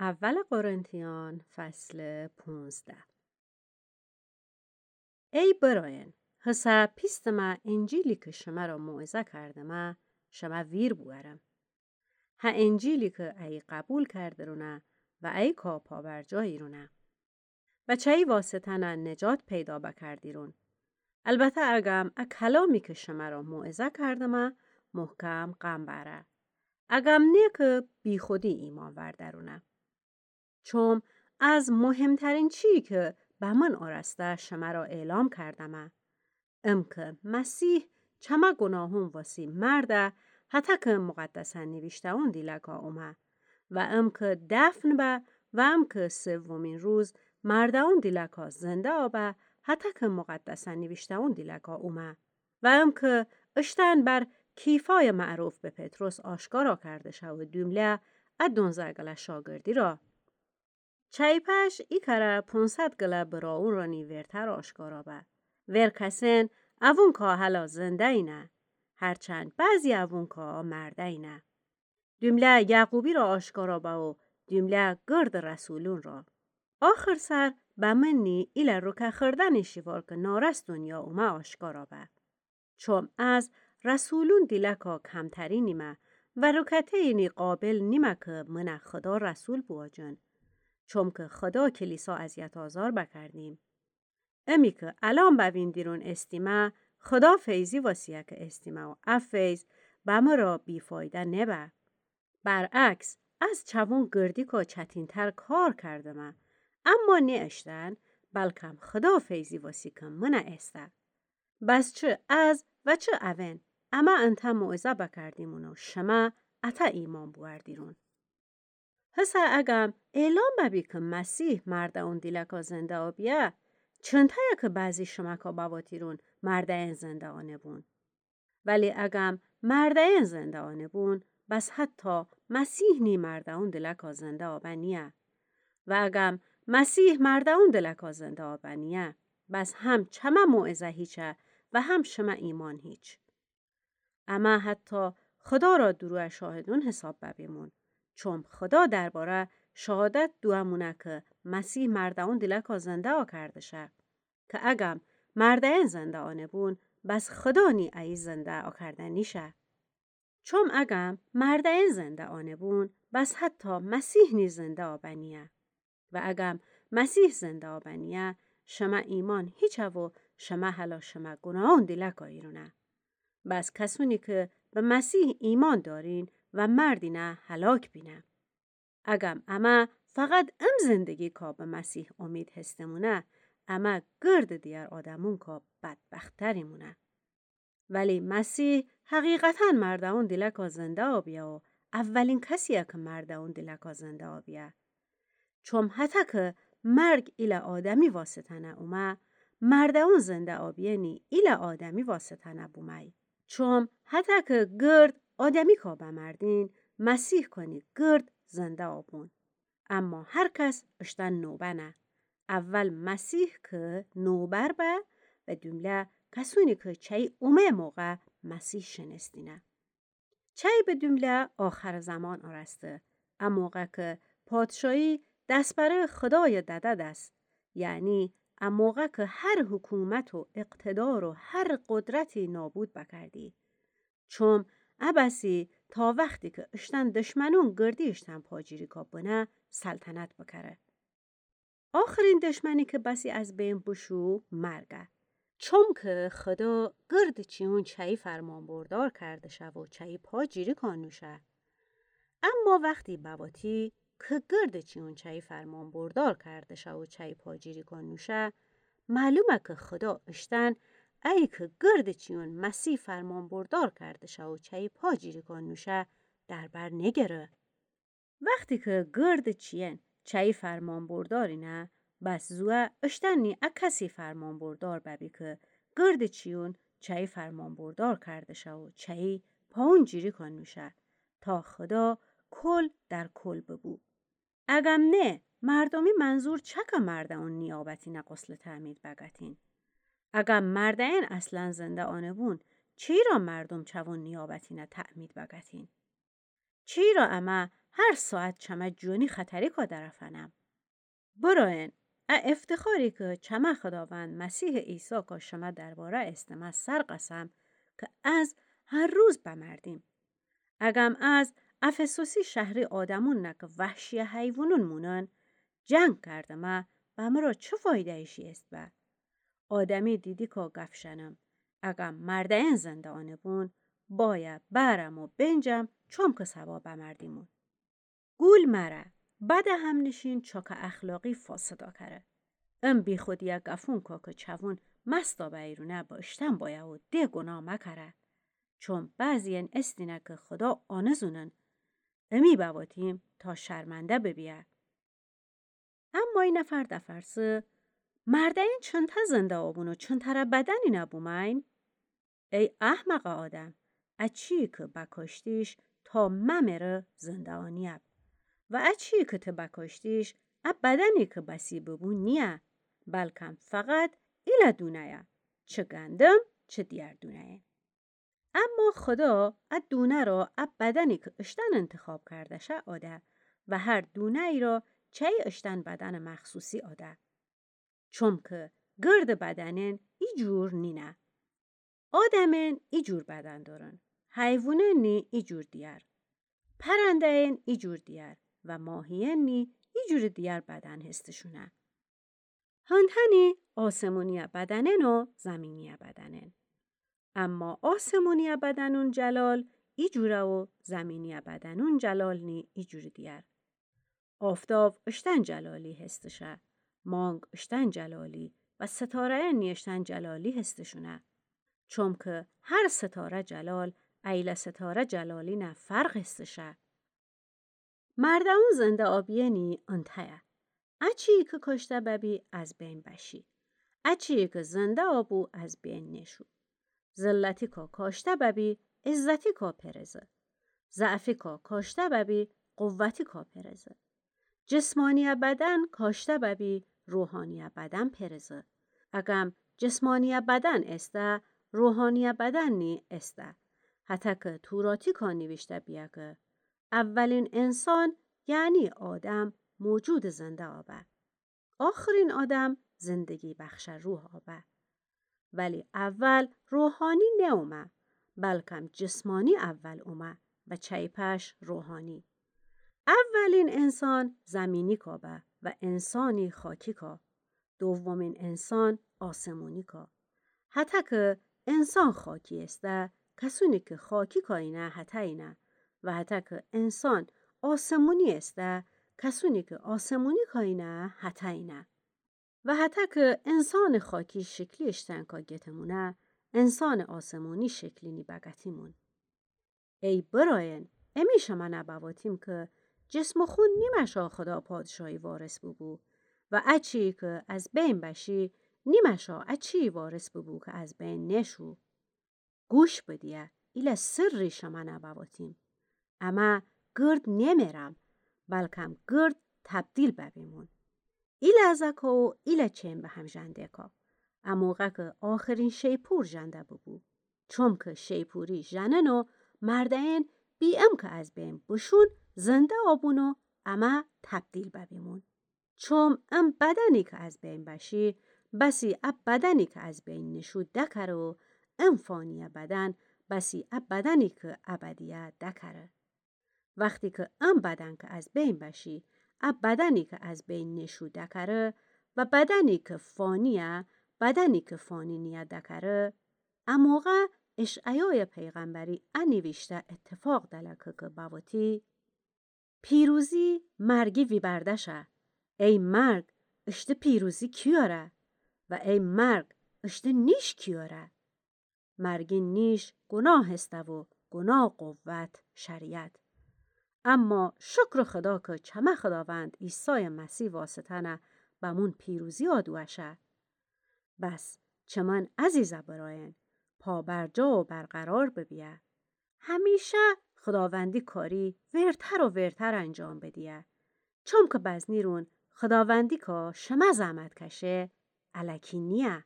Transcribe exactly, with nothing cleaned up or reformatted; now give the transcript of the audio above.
اول قرنتیان، فصل پونزده. ای برأین، هسه پیستمه انجیلی کی شمرا موعظه کردمه، شمه ویر بوأرم. هه انجیلی کی ای قبول کردرونه و ایکا پابرجا ایرونه و چی واسطه نه نجات پیدا بکردیرون. البته اگم ا کلامی کی شمرا موعظه کردمه محکم قم بأره، اگم نه کی بیخودی ایمأن وأردرونه. چوم از مهمترین چیی کی بمن اورسته شمرا اعلام کردمه، ام کی مسیح چمه گوناهون واسی مرده، هطه کی مقدسه نیویشته‌یون دیلکا اومه، و ام کی دفن به، و ام کی سومین روز مرده‌یون دیلکا زنده آبه، هطه کی مقدسه نیویشته‌یون دیلکا اومه. و ام کی اشتن بر کیفای معروف به پطرس آشکارا کرده شه و دومله ا دونزه گله شاگردی را. چی پش ایکره پونصد گله برأوون رانی ورتر آشکارا به. ور کسین اوونکا هلا زنده اینه، هرچند بعضی اوونکا مرده اینه. دومله یعقوبی را آشکارا به و دومله گرد رسولون را. آخر سر بمنی ایله روکه خوردنی شیوار کی نارس دونیا اومه آشکارا به. چوم از رسولون دیلکا کمتری نیمه و روکته‌یینی قابل نیمه کی منه خدا رسول بواجن. چوم کی خدا کلیسا اذیت آزار بکردیم. امی کی الأن بویندیرون استیمه، خدا فیضی واسیه کی استیمه و ا فیض بمرا بی‌فایده نبه. برعکس، از چوون گردیکا چتین‌تر کار کردمه، اما نه اشتن، بلکم خدا فیضی واسی کی منه ایسته. بس چه از و چه اوئن، امه انته موعظه بکردیمون و شمه اطه ایمأن بوأردیرون. هسه اگم اعلام ببی کی مسیح مرده‌یون دیلکا زنده آبیه، چنته‌یه کی بعضی شمکا بواتیرون مرده‌یین زنده آنه‌بون. ولی اگم مرده‌یین زنده آنه‌بون، بس حتی مسیح نی مرده‌یون دیلکا زنده آبه نیه. و اگم مسیح مرده‌یون دیلکا زنده آبه نیه، بس هم چمه موعظه هیچه و هم شمه ایمأن هیچ. امه حتی خدا را دورویه شاهدون حساب ببیمون، چوم خدا درباره شهادت دوه مونه کی مسیح مرده‌یون دیلکا زنده آکرده شه. کی اگم مرده‌یین زنده آنه‌بون، بس خدا نی ایی زنده آکرده نیشه. چوم اگم مرده‌یین زنده آنه‌بون، بس حتی مسیح نی زنده آبه نیه. و اگم مسیح زنده آبه نیه، شمه ایمأن هیچه و شمه هلا شمه گوناهون دیلکا ایرونه. بس کسونی کی به مسیح ایمأن دارین و مردینه هلاک بینه. اگم امه فقط ام زندگیکا به مسیح امید هسته‌مونه، امه گرد دیگر آدمونکا بدبخت‌تر ایمونه. ولی مسیح حقیقتاً مرده‌یون دیلکا زنده آبیه و اولین کسیه کی مرده‌یون دیلکا زنده آبیه. چوم هطه کی مرگ ایله آدمی واسطه نه اومه، مرده‌یون زنده آبیه نی ایله آدمی واسطه نه بومه‌یی. چوم هطه کی گرد آدمیکا بمردین، مسیح کانی گرد زنده آبون. اما هر کس اشتن نوبه نه. اول مسیح کی نوبر به و دومله کسونی کی چی اومه موقع مسیح شنستینه. چی به دومله آخر زمان اورسته، ا موقع کی پادشاهی دس بره خدای دده دس، یعنی ا موقع کی هر حکومت و اقتدار و هر قدرتی نابود بکردی. چوم ا بسی تا وختی کی اشتن دشمنون گردی اشتن پاجیریکا بنه سلطنت بکره. آخرین دشمنی کی بسی از بین بوشو مرگه. چوم کی خدا گرد چیون چی فرمانبردار کرده شه و چی پاجیریکا نوشه. اما وختی بواتی کی گرد چیون چی فرمانبردار کرده شه و چی پاجیریکا نوشه، معلومه کی خدا اشتن ایی کی گرد چیون مسیح فرمانبردار کرده شه و چی پاجیریکا نوشه در بر نگره. وختی کی گرد چیین چی فرمانبردار اینه، بس زوه اشتن نی ا کسی فرمانبردار ببی کی گرد چیون چی فرمانبردار کرده شه و چی پاونجیریکا نوشه، تا خدا کل در کل ببو. اگم نه، مردومی منظور چکه مرده‌یون نیابتینه غسل تعمید بگتین؟ اگم مرده‌یین اصلاً زنده آنه‌بون، چیرا مردوم چوون نیابتینه تعمید بگتین؟ چیرا امه هر ساعت چمه جونی خطریکا درفنم. برأین، ا افتخاری که چمه خداوند مسیح عیسی کا شمه درباره استمه سر قسم که از هر روز بمردیم. اگم از افسوسی شهری آدمون نه که وحشی حیوانون مونن، جنگ کردمه، بمرا چه فایده ایشی است به؟ آدمی دیدی کا گف شنم، اگم مرده‌ین زنده آنه بون، بایه برم و بنجم چوم که سبا بمردیمون. گول مره، بده همنشین چاکه اخلاقی فاسدا کره. ام بیخودیه گفون کا که چوون مستا بیرونه به اشتن بایه و ده گناه مکره. چون بعضی‌ین استینه که خدا آنه زونن. امی بواتیم تا شرمنده ببیه. اما ای نفر دفرسه، مرده‌ین چنته زنده آبون و چنتره بدنی نبومین؟ ای احمق آدم، اچی که بکشتیش تا ممره زنده آنیب. و اچی که ته بکشتیش، ا بدنی که بسی ببو نیه، بلکم فقط ایله دونه‌یه، چه گندم، چه دیگر دونه‌یه. اما خدا ا دونه را ا بدنی که اشتن انتخاب کرده شه آده و هر دونه‌ای را چی اشتن بدن مخصوصی آده. چوم که گرد بدنین ای جور نینه. آدمین ای جور بدن دارن، حیوانین نی ای جور دیگر، پرنده‌ین ای جور دیگر و ماهی‌ین نی ای جور دیگر بدن هستشونه. هنتنی آسمونی بدنین و زمینی بدنین. اما آسمونی بدنون جلال ای جوره و زمینی بدنون جلال نی ای جور دیگر. آفتاب اشتن جلالی هستشه، مانگ اشتن جلالی و ستاره‌ین نی اشتن جلالی هستشونه. چوم که هر ستاره جلال ایله ستاره جلالی نه فرق هستشه. مرده‌ون زنده آبی‌نی انته‌یه. اچی که کشته ببی از بین بشی. اچی که زنده آبو از بین نشو. ذلتی کا کشته ببی، عزتی کا پرزه. ضعفی کا کشته ببی، قوتی کا پرزه. جسمانی بدن کشته ببی، روحانی بدن پرزه. اگم جسمانی بدن استه، روحانی بدن نی استه. هته که توراتی کا نیویشته بیه که اولین انسان، یعنی آدم، موجود زنده آبه. آخرین آدم زندگی بخش روح آبه. ولی اول روحانی نومه، بلکم جسمانی اول اومه و چی پش روحانی. اولین انسان زمینی کا به و انسانی خاکی کا. دومین انسان آسمونی کا. هته که انسان خاکی استه، کسونی که خاکی کاینه هتاینه و هته که انسان آسمونی استه، کسونی که آسمونی کاینه هتاینه. و هته که انسان خاکی شکلی اشتن کا گتمونه، انسان آسمونی شکلی نی بگتیمون. ای برایان، امی شمه نبواتیم که جسم و خون نیمشا خدا پادشاهی وارث ببو و اچی که از بین بشی، نیمشا اچی وارث ببو که از بین نشو. گوش بدیه، ایله سری شمه نبواتیم. امه گرد نمیرم، بلکم گرد تبدیل ببیمون. ایله زکا و ایله چین به هم ژنده کا. اموقع که آخرین شیپور ژنده ببو. چوم که شیپوری ژنن و مرده‌ین بی ام که از بین بشون زنده آبون و امه تبدیل ببیمون. چوم ام بدنی که از بین بشی، بسی ا بدنی که از بین نشو دکره و ام فانی بدن، بسی ا بدنی که ابدیه دکره. وختی که ام بدن که از بین بشی، ا بدنی که از بین نشو دکره و بدنی که فانیه، بدنی که فانی نیه دکره، اموقع اشعیای پیغمبری ا نیویشته اتفاق دلکه که بوتی، پیروزی مرگی ویبرده شه. ای مرگ، اشته پیروزی کیاره؟ و ای مرگ، اشته نیش کیاره؟ مرگی نیش گناه استه و گناه قوت شریعت. اما شکر خدا که چمه خداوند عیسی مسیح واسطه نه بمون پیروزی آدوه شه. بس چمن عزیزه برایان، پابرجا و برقرار ببیه. همیشه خداوندی کاری ورتر و ورتر انجام بدیه. چوم که بزنیرون خداوندی کا شمه زحمت کشه، الکی نیه.